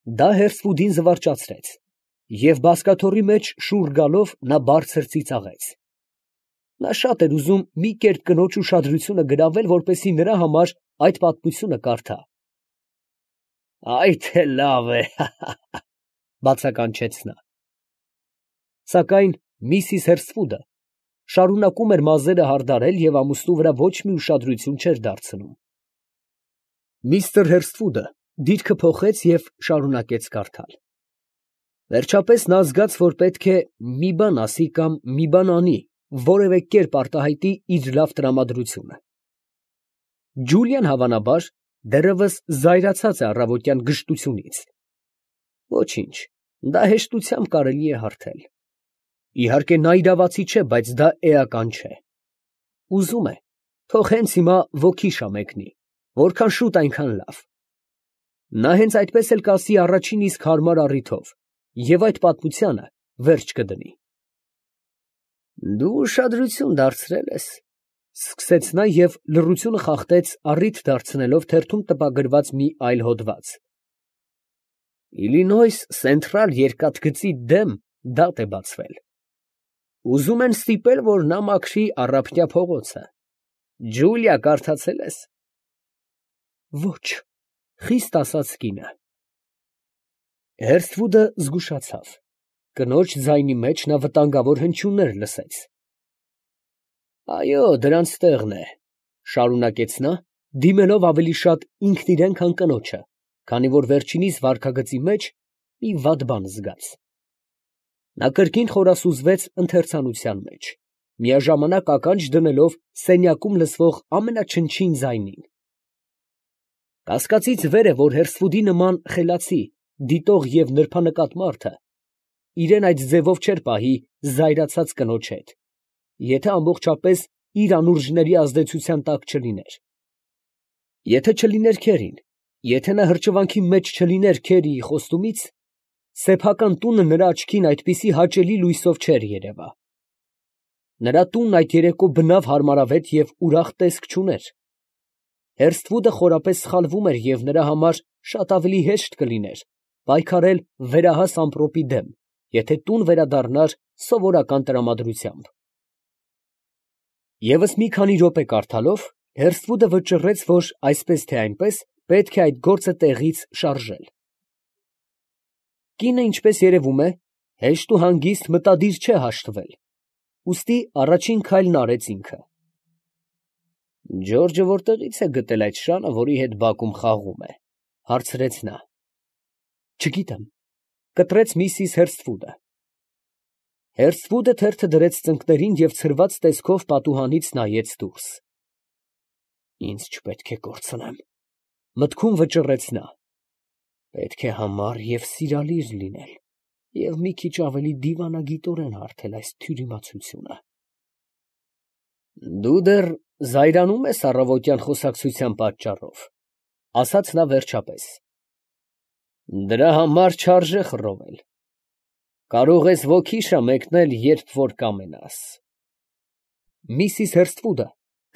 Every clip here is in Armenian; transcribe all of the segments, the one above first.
Դա Հերսվուդին զվարճացրեց, և բազկաթոռի մեջ շուռ գալով նա բարձր ծիծաղեց. նա շատ էր ուզում մի կերպ կնոջ ուշադրությունը գրավել, որպեսզի նրա համար այդ պատմությունը կարդա։ «Այ թե լավ է, բացականչեց նա։ Սակայն Միսիս Հերսֆուդը շարունակում էր մազերը հարդարել և ամուսնու վրա ոչ մի ուշադրություն չէր դարձնում։ Միստր Հերսֆուդը դիրքը փոխեց և շարունակեց կարդալ։ Վերջապես նա զգաց, որ պետք է մի բան ասի կամ մի բան անի, որևէ կերպ արտահայտի իր լավ տրամադրությունը։ Ջուլիան, հավանաբար, դեռևս զայրացած է առավոտյան գժտությունից։ Ոչինչ, դա հեշտությամբ կարելի է հարթել։ Իհարկե, նա իրավացի չէ, բայց դա էական չէ։ Ուզում է, թող հենց հիմա ոգի շամեկնի, որքան շուտ այնքան լավ։ Նա հենց այդպես էլ կասի առաջին իսկ հարմար առիթով և այդ պատմությանը վերջ կդնի։ Դու ուշադրություն դարձրել ես, սկսեց նա և լռությունը խախտեց առիթ դարձնելով թերթում տպագրված մի այլ հոդված։ Իլինոյս Սենթրալ երկաթգծի դեմ դատ է բացվել։ Ուզում են ստիպել, որ նա մաքրի Առափնյա փողոցը։ Ջուլիա, կարդացե՞լ ես։ Ոչ, խիստ ասաց կինը։ Հերսթվուդը զգուշացավ։ Կնոջ ձայնի մեջ նա վտանգավոր հնչյուններ լսեց։ Այո, դրանց տեղն է, շարունակեց նա, դիմելով ավելի շատ ինքն իրեն, քան կնոջը, քանի որ վերջինիս վարքագծի մեջ մի վատ բան զգաց։ Նա կրկին խորասուզվեց ընթերցանության մեջ, միաժամանակ ականջ դնելով սենյակում լսվող ամենաչնչին ձայնին։ Կասկածից վեր է, որ Հերսֆուդի նման խելացի, դիտող և նրբանկատ մարդը իրեն այդ ձևով չէր պահի զայրացած կնոջ հետ, եթե ամբողջապես իր անուրջների ազդեցության տակ չլիներ։ Եթե չլիներ քերին, եթե նա հրճվանքի մեջ չլիներ քերիի խոստումից, սեփական տունը նրա աչքին այդպիսի հաճելի լույսով չէր երևա։ Նրա տունն այդ երեկո բնավ հարմարավետ և ուրախ տեսք չուներ։ Հերսթվուդը խորապես սխալվում էր և նրա համար շատ ավելի հեշտ կլիներ պայքարել վերահաս ամպրոպի դեմ, եթե տուն վերադառնար սովորական տրամադրությամբ։ Եվս մի քանի րոպե կարդալով, Հերսթվուդը վճռեց, որ այսպես թե այնպես պետք է այդ գործը տեղից շարժել։ Կինը, ինչպես երևում է, հեշտ ու հանգիստ մտադիր չէ հաշտվել, ուստի առաջին քայլն արեց ինքը։ Ջորջը որտեղից է գտել այդ շանը, որի հետ բակում խաղում է, հարցրեց նա։ Չգիտեմ, կտրեց միսիս Հերսթվուդը։ Հերսթվուդը թերթը դրեց ծնկներին և ցրված տեսքով պատուհանից նայեց դուրս։ Ինձ չպետք է կորցնեմ, մտքում վճռեց նա։ Պետք է համառ և սիրալիր լինել և մի քիչ ավելի դիվանագիտորեն հարթել այս թյուրիմացությունը։ Դու դեռ զայրանում ես առավոտյան խոսակցության պատճառով, ասաց նա վերջապես։ Դրա համար չարժե խռովել։ Կարող ես ոգի շամեկնել, երբ որ կամենաս։ Միսիս Հերսթվուդը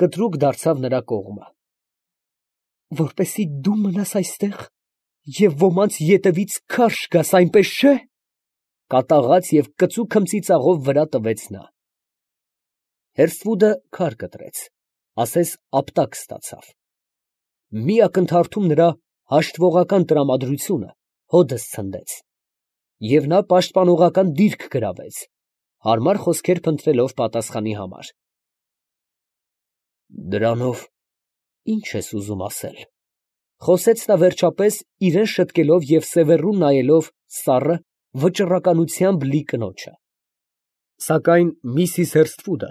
կտրուկ դարձավ նրա կողմը։ Որպեսզի դու մնաս այստեղ և ոմանց ետևից քարշ գաս, այնպես չէ՞։ Կատաղած և կծու քմծիծաղով վրա տվեց նա։ Հերսթվուդը քար կտրեց, ասես ապտակ ստացավ։ Մի ակնթարթում նրա հաշտվողական տրամադրությունը հոդս ցնդեց, և նա պաշտպանողական դիրք գրավեց, հարմար խոսքեր փնտրելով պատասխանի համար։ Դրանով ի՞նչ ես ուզում ասել, խոսեց նա վերջապես, իրան շտկելով և սևեռուն նայելով սառը, վճռականությամբ լի կնոջը։ Սակայն միսիս Հերսթվուդը,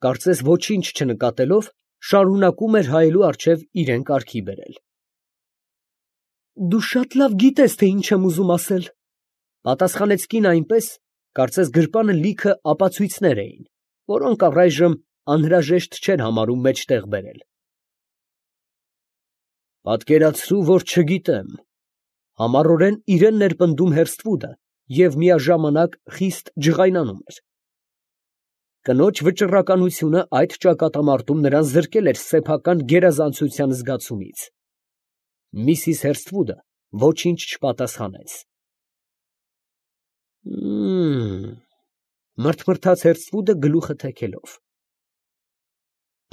կարծես ոչինչ չնկատելով, շարունակում էր հայելու առջև իրան կարգի բերել։ Դու շատ լավ գիտես, թե ինչ եմ ուզում ասել, պատասխանեց կինը այնպես, կարծես գրպանը լիքը ապացույցներ էին, որոնք առայժմ անհրաժեշտ չէր համարում մեջտեղ բերել։ Պատկերացրու, որ չգիտեմ, համառորեն իրան ներպնդում Հերսթվուդը և միաժամանակ խիստ ջղայնանում էր։ Կնոջ վճռականությունը այդ ճակատամարտում նրան զրկել էր սեփական գերազանցության զգացումից։ Միսիս Հերսթվուդը Ոչինչ չպատասխանեց։ Մրթմրթաց Հերսֆուդը գլուխը թեքելով։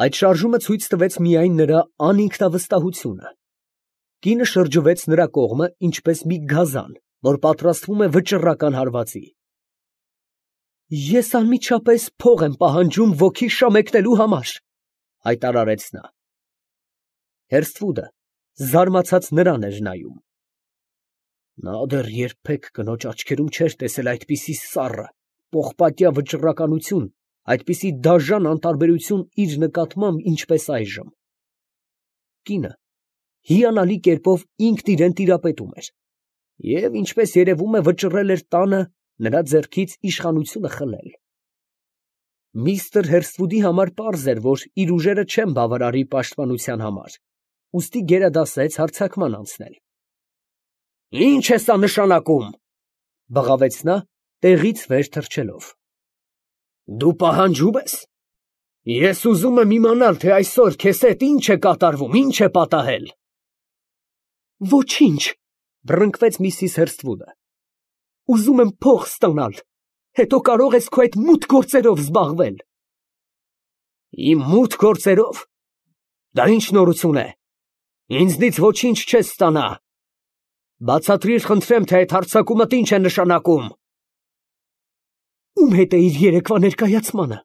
Այդ շարժումը ցույց տվեց միայն նրա անինքնավստահությունը։ Կինը շրջվեց նրա կողմը, ինչպես մի գազան, որ պատրաստվում է վճռական հարվածի։ Ես անմիջապես փող եմ պահանջում ոգի շամեկնելու համար, հայտարարեց նա։ Հերսֆուդը զարմացած նրան էր նայում։ Նա դեռ երբեք կնոջ աչքերում չէր տեսել այդպիսի սառը, պողպատյա վճռականություն, այդպիսի դաժան անտարբերություն իր նկատմամբ, ինչպես այժմ։ Կինը հիանալի կերպով ինքն իրեն տիրապետում էր և, ինչպես երևում է, վճռել էր տանը նրա ձեռքից իշխանությունը խլել։ Միստր Հերսֆուդի համար պարզ էր, որ իր ուժերը չեն բավարարի պաշտպանության համար, ուստի գերադասեց հարձակման անցնել։ Ի՞նչ է սա նշանակում, բղավեց նա, տեղից վեր թռչելով։ Դու պահանջում ես։ Ես ուզում եմ իմանալ, թե այսօր քեզ հետ ինչ է կատարվում, ինչ է պատահել։ Ոչինչ, բռնկվեց միսիս Հերսթվուդը։ Ուզում եմ փող ստանալ, հետո կարող ես քո այդ մութ գործերով զբաղվել։ Իմ մութ գործերով։ Դա ինչ նորություն է։ Ինձնից ոչինչ չես ստանա։ Բացատրիր, խնդրեմ, թե այդ հարձակումդ ինչ է նշանակում։ Ում հետ էիր երեկվա ներկայացմանը,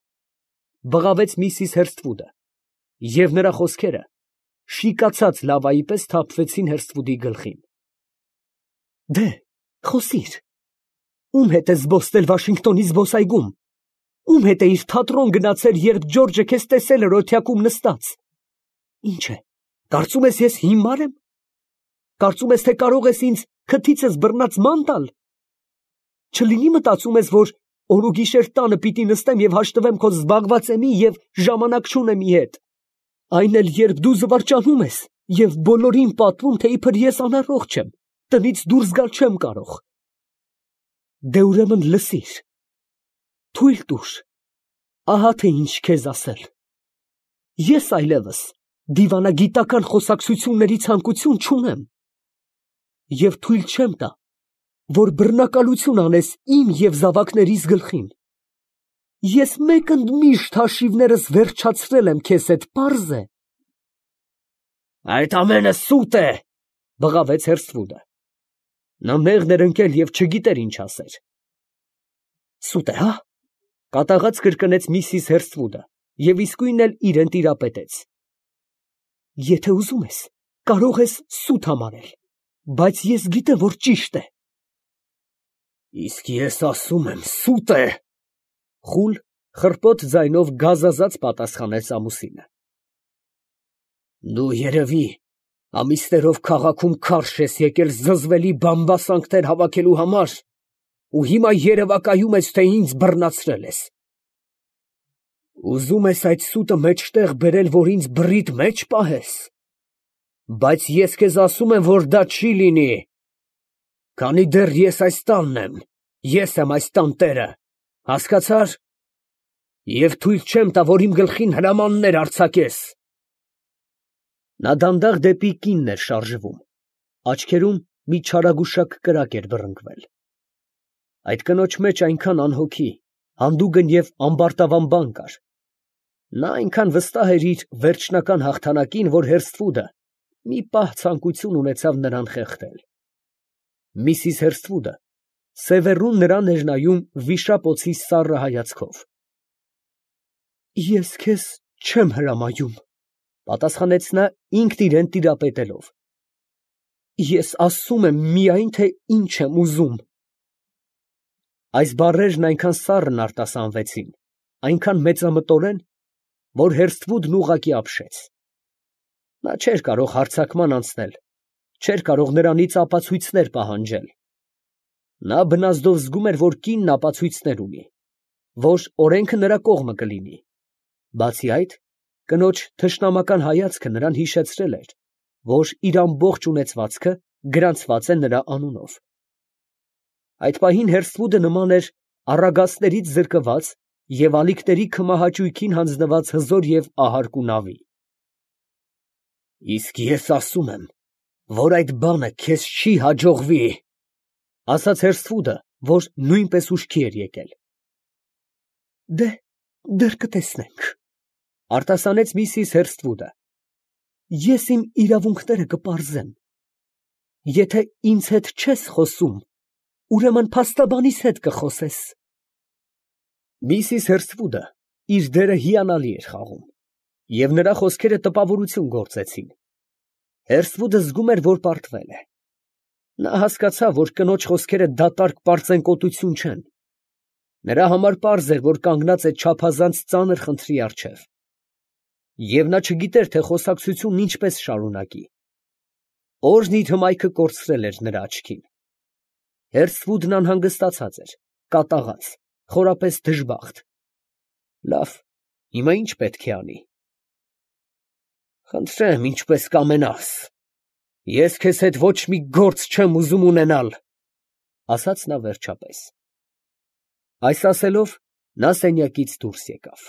բղավեց միսիս Հերսթվուդը, և նրա խոսքերը շիկացած լավայի պես թափվեցին Հերսթվուդի գլխին։ Դե, խոսիր։ Ում հետ ես զբոսնել Վաշինգտոնի զբոսայգում։ Ում հետ էիր թատրոն գնացել, երբ Ջորջը քեզ տեսել էր օթյակում նստած։ Ինչ է, կարծում ես ես հիմար եմ։ Կարծում ես, թե կարող ես ինձ քթիցս բռնած ման տալ։ Չլինի մտածում ես, որ օր ու գիշեր տանը պիտի նստեմ և հաշտվեմ քո զբաղվածեմի և ժամանակ չունեմի հետ։ Այն էլ երբ դու զվարճանում ես և բոլորին պատմում, թե իբր ես անառողջ եմ, տնից դուրս գալ չեմ կարող։ Դե ուրեմն լսիր։ Թույլ տուր։ Ահա թե ինչ քեզ ասել։ Ես այլևս դիվանագիտական խոսակցությունների ցանկություն չունեմ։ Եվ թույլ չեմ տա, որ բռնակալություն անես իմ և զավակներիս գլխին։ Ես մեկընդմիշտ հաշիվներս վերջացրել եմ քեզ հետ, պարզ է։ Այդ ամենը սուտ է, բղավեց Հերսթվուդը։ Նա մեղմ էր ընկել և չգիտեր ինչ ասեր։ Սուտ է, հա՞, կատաղած կրկնեց միսիս Հերսթվուդը և իսկույն էլ իրեն տիրապետեց։ Եթե ուզում ես, կարող ես սուտ համարել, բայց ես գիտեմ, որ ճիշտ է։ Իսկ ես ասում եմ, սուտ է, խուլ, խռպոտ ձայնով գազազած պատասխանեց ամուսինը։ Դու երևի ամիսներով քաղաքում քարշ ես եկել զզվելի բամբասանքներ հավաքելու համար ու հիմա երևակայում ես, թե ինձ բռնացրել ես։ Ուզում ես այդ սուտը մեջտեղ բերել, որ ինձ բռիդ մեջ պահես։ Բայց ես քեզ ասում եմ, որ դա չի լինի։ Քանի դեռ ես այս տանն եմ, ես եմ այս տան տերը, հասկացա՞ր։ Եվ թույլ չեմ տա, որ իմ գլխին հրամաններ արձակես։ Նա դանդաղ դեպի կինն էր շարժվում, աչքերում մի չարագուշակ կրակ էր բռնկվել։ Այդ կնոջ մեջ այնքան անհոգի, հանդուգն և ամբարտավան բան կար։ Նա այնքան վստահ էր իր վերջնական հաղթանակին, որ Հերսթվուդը մի պահ ցանկություն ունեցավ նրան խեղդել։ Միսիս Հերսթվուդը սևեռուն նրան էր նայում վիշապոցի սառը հայացքով։ Ես քեզ չեմ հրամայում, պատասխանեց նա ինքն իրեն տիրապետելով։ Ես ասում եմ միայն, թե ինչ եմ ուզում։ Այս բառերն այնքան սառն արտասանվեցին, այնքան մեծամտորեն, որ Հերսթվուդն ուղղակի ապշեց։ Նա չէր կարող հարձակման անցնել, չէր կարող նրանից ապացույցներ պահանջել։ Նա բնազդով զգում էր, որ կինն ապացույցներ ունի, որ օրենքը նրա կողմը կլինի։ Բացի այդ, կնոջ թշնամական հայացքը նրան հիշեցրել էր, որ իր ամբողջ ունեցվածքը գրանցված է նրա անունով։ Այդ պահին Հերսթվուդը նման էր առագաստներից զրկված և ալիքների քմահաճույքին հանձնված հզոր և ահարկու նավի։ Իսկ ես ասում եմ, որ այդ բանը քեզ չի հաջողվի, ասաց Հերսֆուդը, որ նույնպես ուշքի էր եկել։ Դեռ կտեսնենք, արտասանեց Միսիս Հերսթվուդը։ Ես իմ իրավունքները կպարզեմ։ Եթե ինձ հետ չես խոսում, ուրեմն փաստաբանիս հետ կխոսես։ Միսիս Հերսթվուդը իր դերը հիանալի էր խաղում, և նրա խոսքերը տպավորություն գործեցին։ Հերսթվուդը զգում էր, որ պարտվել է։ Նա հասկացավ, որ կնոջ խոսքերը դատարկ պարծենկոտություն չեն։ Նրա համար պարզ էր, որ կանգնած է չափազանց ծանր խնդրի առջև։ Եվ նա չգիտեր, թե խոսակցությունն ինչպես շարունակի։ Օրհն իր հմայքը կորցրել էր նրա աչքին։ Հերսթվուդն անհանգստացած էր, կատաղած, խորապես դժբախտ։ Լավ, հիմա ի՞նչ պետք է անի։ Խնդրեմ, ինչպես կամենաս։ Ես քեզ հետ ոչ մի գործ չեմ ուզում ունենալ, ասաց նա վերջապես։ Այս ասելով, նա սենյակից դուրս եկավ։